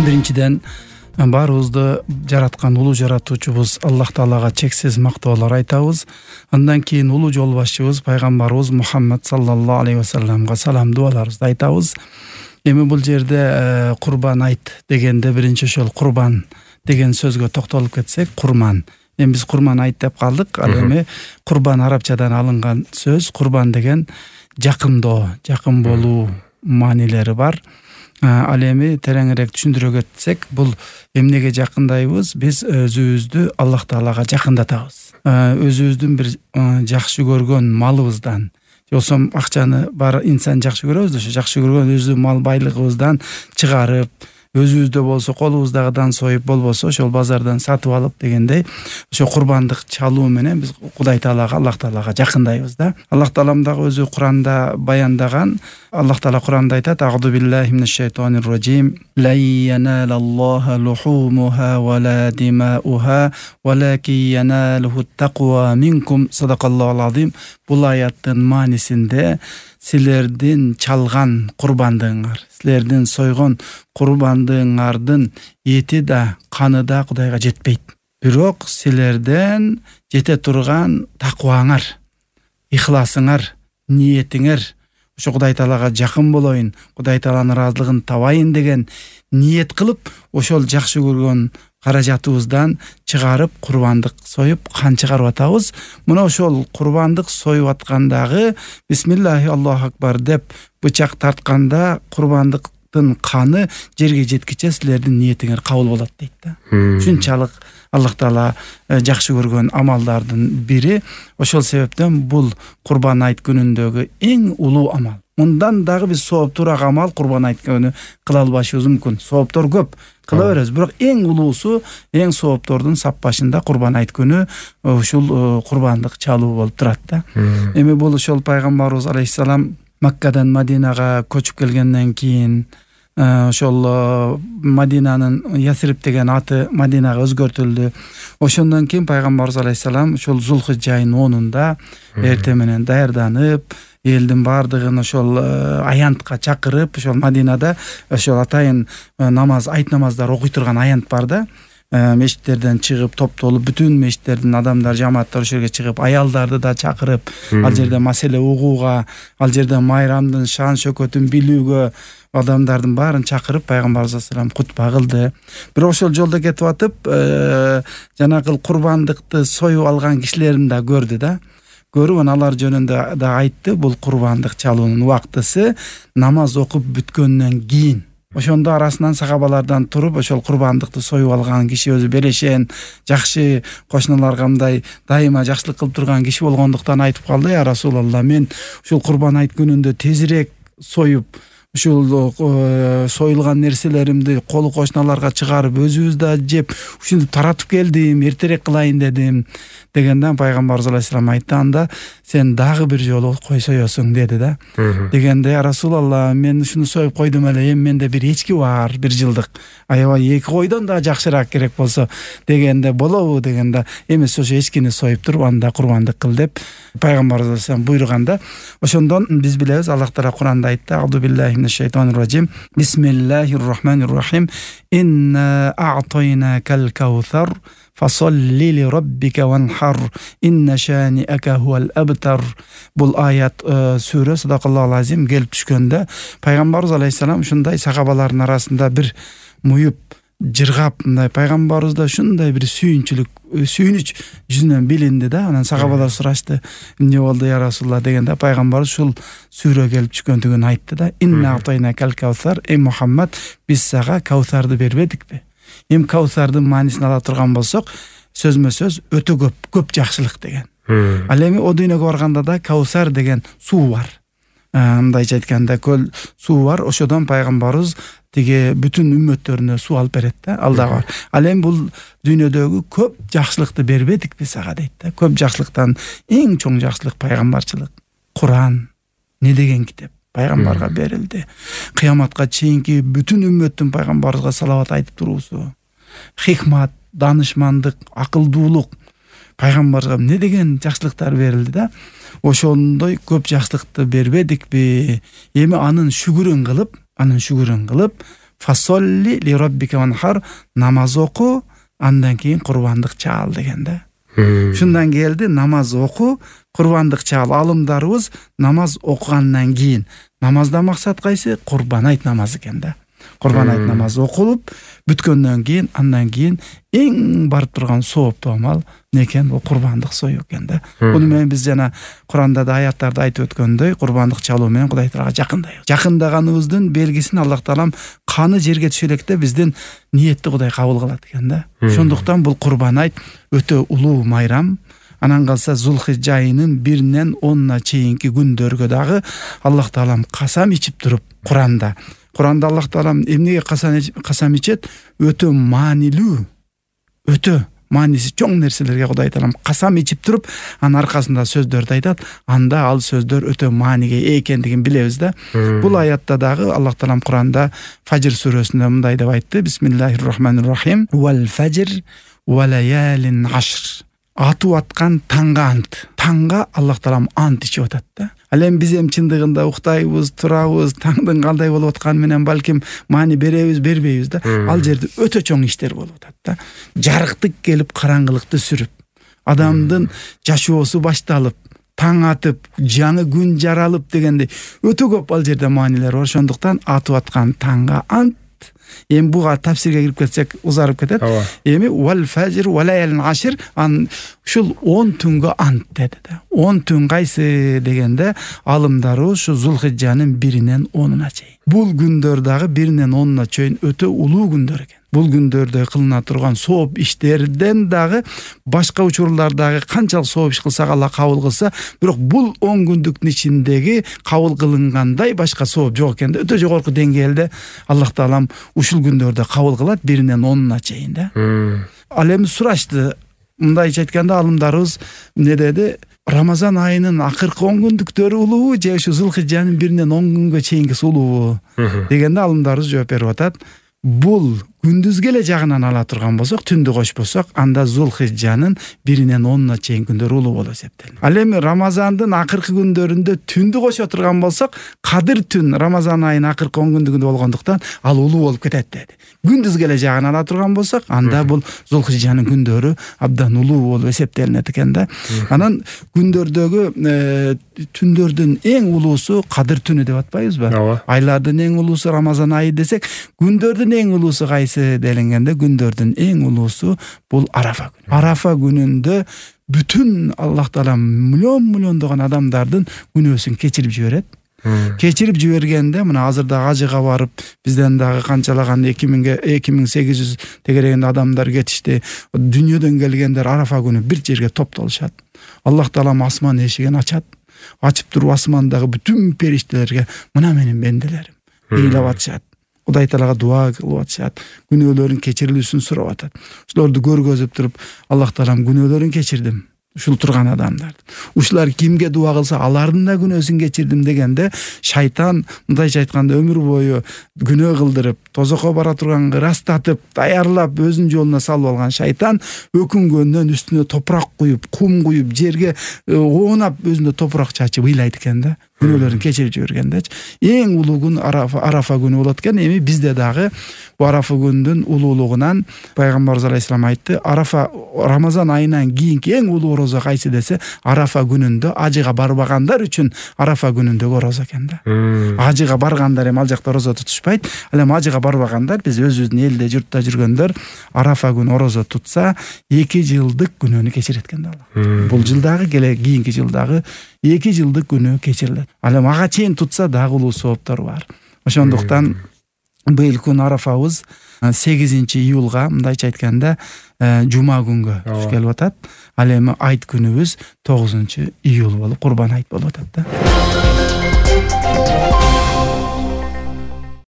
Биринчиден баарыбызды жараткан улуу жаратуучубуз Аллах Таалага чексиз мактоолор айтабыз. Андан кийин улуу жол башчыбыз пайгамбарыбыз Мухаммад саллаллаху алейхи ва салламга салам дуаларыбызды айтабыз. Эми бул жерде курбан айт дегенде биринчи ошол курбан деген сөзгө токтолуп кетсек, курман. Эми биз курман айт деп калдык. Ал эми курбан арабчадан алынган сөз. Курбан деген жакындоо, жакын болуу маанилери бар. Ал эми тереңирээк түшүндүрө кетсек, бул эмнеге жакындайбыз? Биз өзүбүздү Аллах Таалага жакындатабыз. Өзүбүздүн бир жакшы көргөн малыбыздан, болсо акчаны бар инсан жакшы көрөбүз, ошо жакшы көргөн өзү мал байлыгыбыздан чыгарып, өзүбүздө болсо колубуздагыдан союп, болбосо ошол базардан сатып алып дегендей, ошо курбандык чалуу менен биз Кудай Таалага, Аллах Таалага жакындайбыз да. Аллах Таалам дагы өзү Куранда баяндаган. Аллах Таала Куранда айтат: "А'уду биллахи минаш шайтанир раджим. Ла яналаллаха лухумуха ва ла димауха, валаки яналуху тaqwa минкум." Садакаллахул азим. Бул аяттын маанисинде силердин чалган курбандыгыңар, силердин сойгон курбандыгыңардын эти да, каны да Кудайга жетпейт. Бирок силерден жете турган такваңар, ихласыңар, ниетиңер, ошо Кудай Таалага жакын болоюн, Кудай Тааланын ыраазылыгын табайын деген ниет кылып, ошол жакшы көргөн каражатыбыздан чыгарып курбандык союп кан чыгарып атабыз. Мына ошол курбандык союп аткандагы бисмиллахи Аллаху акбар деп бычак тартканда курбандыктын каны жерге жеткиче силердин ниетиңер кабыл болот дейт да. Ушунчалык Аллах Таала жакшы көргөн амалдардын бири. Ошол себептен бул курбан айт күнүндөгү эң улуу амал. Мындан дагы биз сооптуураак амал курбан айт күнү кыла албашыбыз мүмкүн. Сооптор көп, кыла беребиз, бирок эң улуусу, эң сооптордун саппашында курбан айт күнү ушул курбандык чалуу болуп турат да. Эми бул ошол пайгамбарыбыз алейхиссалам Маккадан Мадинага көчүп келгенден кийин ошол Мадинанын Ясрип деген аты Мадинага өзгөртүлдү. Ошондон кийин пайгамбарыбыз алейхиссалам ошол Зулхижжа айынын 10-унда эртең менен даярданып, элдин бардыгын ошол аянтка чакырып, ошол Мадинада ошол атайын намаз, айт намаздары окуй турган аянт бар да. Мешиттерден чыгып топтолуп, бүтүн мешиттердин адамдар, жамааттар ошол жерге чыгып, аялдарды да чакырып, ал жерде маселе угууга, ал жерде майрамдын шан шөкөтүн билүүгө адамдардын баарын чакырып пайгамбарыбыз алейхиссалам кутба кылды. Бирок ошол жолдо кетип атып, жанагы курбандыкты союп алган кишилерин да көрдү да. Көрүп, алар жөнүндө да айтты. Бул курбандык чалуунун убактысы намаз окуп бүткөндөн кийин. Ошондо арасынан сахабалардан туруп, ошол курбандыкты союп алган киши өзү берешен, жакшы кошуналарга мындай дайыма жакшылык кылып турган киши болгондуктан айтып калды: "Я Расулалла, мен ушул курбан айт күнүндө тезирээк союп, ушул союлган нерселеримди колу кошуналарга чыгарып, өзүбүз да жеп, ушинтип таратып келдим, эртерээк кылайын дедим." Дегенден пайгамбарыбыз алейхиссалам айтты: "Анда сен дагы бир жолу койсоёсуң" деди да. Дегенде: "Я Расулалла, мен ушуну союп койдум эле, эми менде бир эчки бар, 1 жылдык. Аябай 2 койдон да жакшыраак керек болсо" дегенде: "Болобу?" дегенде: "Эмес, ошо эчкини союп туруп, анда курбандык кыл" деп пайгамбарыбыз алейхиссалам буйруганда. Ошондон биз билебиз, Аллах Таала Куранда айтты: "А'уду биллахи минаш шайтанир раджим. Бисмиллахир рахманир рахим. Инна а'тайнакал каусар. Фасолли ли раббика ванхар. Инна шани'ака хуал абтар." Бул аят сүрө Садакаллахул азим келип түшкөндө пайгамбарыбыз алейхиссалам ушундай сахабалардын арасында бир муюп жыргап, мындай пайгамбарыбызда ушундай бир сүйүнүч жүзүнөн билинди да. Анан сахабалар сурашты: "Эмне болду я Расулалла?" дегенде пайгамбарыбыз ушул сүрө келип түшкөндүгүн айтты да. "Инна а'тайнакал каусар. Эй Мухаммад, биз сага каусарды бербедикпи?" Эми каусардын маанисин ала турган болсок, сөзмө сөз өтө көп жакшылык деген. Ал эми о дүйнөгө барганда да каусар деген суу бар. Мындайча айтканда көл суу бар. Ошодон пайгамбарыбыз тиги бүтүн үммөттөрүнө суу алып берет да. Ал да бар. Ал эми бул дүйнөдөгү көп жакшылыкты бербедикпи сага дейт да. Көп жакшылыктан эң чоң жакшылык пайгамбарчылык. Куран не деген китеп пайгамбарга берилди. Кыяматка чейинки бүтүн үммөттүн пайгамбарыбызга салават айтып туруусу. Хикмат, данышмандык, акылдуулук пайгамбарга не деген жакшылыктар берилди да. Ошондой көп жакшылыкты бербедикпи? Эми анын шүгүрүн кылып фасолли ли роббика ванхар, намаз оку, андан кийин курбандык чаал деген да. Ушундан келди, намаз оку, курбандык чаал. Алымдарыбыз намаз окугандан кийин, намазда максат кайсы? Курбан айт намазы экен да. Курбан айт намазы окулуп бүткөндөн кийин, андан кийин эң барып турган сооптуу амал эмне экен? Бул курбандык союу экен да. Буну менен биз жана Куранда да аяттарда айтып өткөндөй, курбандык чалуу менен Кудай Таалага жакындайбыз. Жакындаганыбыздын белгисин Аллах Таалам каны жерге түшө электе биздин ниетти Кудай кабыл кылат экен да. Ошондуктан бул курбан айт өтө улуу майрам. Анан калса Зулхижжа айынын 1-ден 10-на чейинки күндөргө дагы Аллах Таалам касам ичип туруп Куранда Аллах Таалам эмнеге касам ичет? Өтө маанилүү, өтө мааниси чоң нерселерге Кудай Таалам касам ичип туруп, анын аркасында сөздөрдү айтат. Анда ал сөздөр өтө мааниге ээ экендигин билебиз да. Бул аятта дагы Аллах Таалам Куранда Фажр сүрөсүндө мындай деп айтты: Бисмиллахир-рахманир-рахим. Вал фажр ва лаялин ашр. Атып аткан таңга ант. Таңга Аллах Таалам ант ичип атат да. Ал эми биз чындыгында уктайбыз, турабыз, таңдын кандай болуп атканы менен балким маани беребиз, бербейбиз да. Ал жерде өтө чоң иштер болуп атат да. Жарыктык келип караңгылыкты сүрүп, адамдын жашоосу башталып, таң атып, жаңы күн жаралып дегенде өтө көп ал жерде маанилер бар. Ошондуктан атып аткан таңга ант. Эми буга тафсирге кирип кетсек узарып кетет. Эми вал фажр ва лаялин ашр, ушул 10 түнгө ант деди да. 10 түн кайсы дегенде алымдары ушу Зулхижжанын 1-ден 10-на чейин. Бул күндөр дагы 1-ден 10-на чейин өтө улуу күндөр экен. Бул күндөрдө кылына турган сооп иштерден дагы башка учурлардагы канчалык сооп иш кылсак Алла кабыл кылса, бирок бул 10 күндүктүн ичиндеги кабыл кылынгандай башка сооп жок экен да. Өтө жогорку деңгээлде Аллах Таалам ушул күндөрдө кабыл кылат 1-ден 10-на чейин да. Ал эми сурашты, мындайча айтканда алымдарыбыз эмне деди? Рамазан айынын акыркы 10 күндүктөрү улуубу же ушу Зулхижжанын 1-ден 10 күнгө чейинкиси улуубу дегенде алымдарыбыз жооп берип атат. Бул күндүзгө эле жагынан ала турган болсок, түндү кошпосок, анда Зулхижжанын 1-ден 10-на чейин күндөр улуу болуп эсептелет. Ал эми Рамазандын акыркы күндөрүндө түндү кошо турган болсок, Кадыр түн Рамазан айынын акыркы 10 күндүгүндө болгондуктан ал улуу болуп кетет деди. Күндүзгө эле жагынан ала турган болсок, анда бул Зулхижжанын күндөрү абдан улуу болуп эсептелинет экен да. Анан күндөрдөгү түндөрдүн эң улуусу Кадыр түнү деп атпайбызбы? Айлардын эң улуусу Рамазан айы десек, күндөрдүн эң улуусу кайсы делингенде, күндөрдүн эң улуусу бул Арафа күнү. Арафа күнүндө бүтүн Аллах Таала миллиондогон адамдардын күнөөсүн кечирип жиберет. Кечирип жибергенде мына азырда ажыга барып, бизден дагы канчалаган 2800 тегерегинде адамдар кетишти. Дүйнөдөн келгендер Арафа күнү бир жерге топтолушат. Аллах Таала асман эшигин ачат. Ачып туруп асмандагы бүтүн периштелерге мына менин бенделерим ыйлап атышат. Кудай Таалага дуа кылып атышат, күнөөлөрүн кечирилүүсүн сурап атат. Ушуларды көргөзүп туруп, Аллах Таалам күнөөлөрүн кечирдим. Ушул турган адамдар. Ушулар кимге дуа кылса, алардын да күнөөсүн кечирдим дегенде, шайтан мындайча айтканда өмүр бою күнөө кылдырып, тозокко бара турганга ырастатып, даярлап өзүнүн жолуна салып алган шайтан өкүнгөндөн үстүнө топурак куюп, кум куюп, жерге оонап өзүнө топурак чачып ыйлайт экен да. Күнөөлөрүн кечирип жибергендечи. Эң улуу күн Арафа күнү болот экен. Эми бизде дагы бу Арафа күнүнүн улуулугунан пайгамбарыбыз алейхиссалам айтты: Арафа Рамазан айынан кийинки эң улуу орозо кайсы десе, Арафа күнүндө ажыга барбагандар үчүн Арафа күнүндөгү орозо экен да. Ажыга баргандар эми ал жакта орозо тутушпайт. Ал эми ажыга барбагандар, биз өзүбүздүн элде, журтта жүргөндөр Арафа күнү орозо тутса 2 жылдык күнөөнү кечирет экен да Алла. Бул жылдагы кийинки жылдагы 2 жылдык күнөө кечирилет. Ал эми ага чейин тутса дагы улуу сооптор бар. Ошондуктан быйыл күн Арафабыз 8-июлга, мындайча айтканда, жума күнгө туш келип атат. Ал эми айт күнүбүз 9-июл болуп, Курбан айт болуп атат да.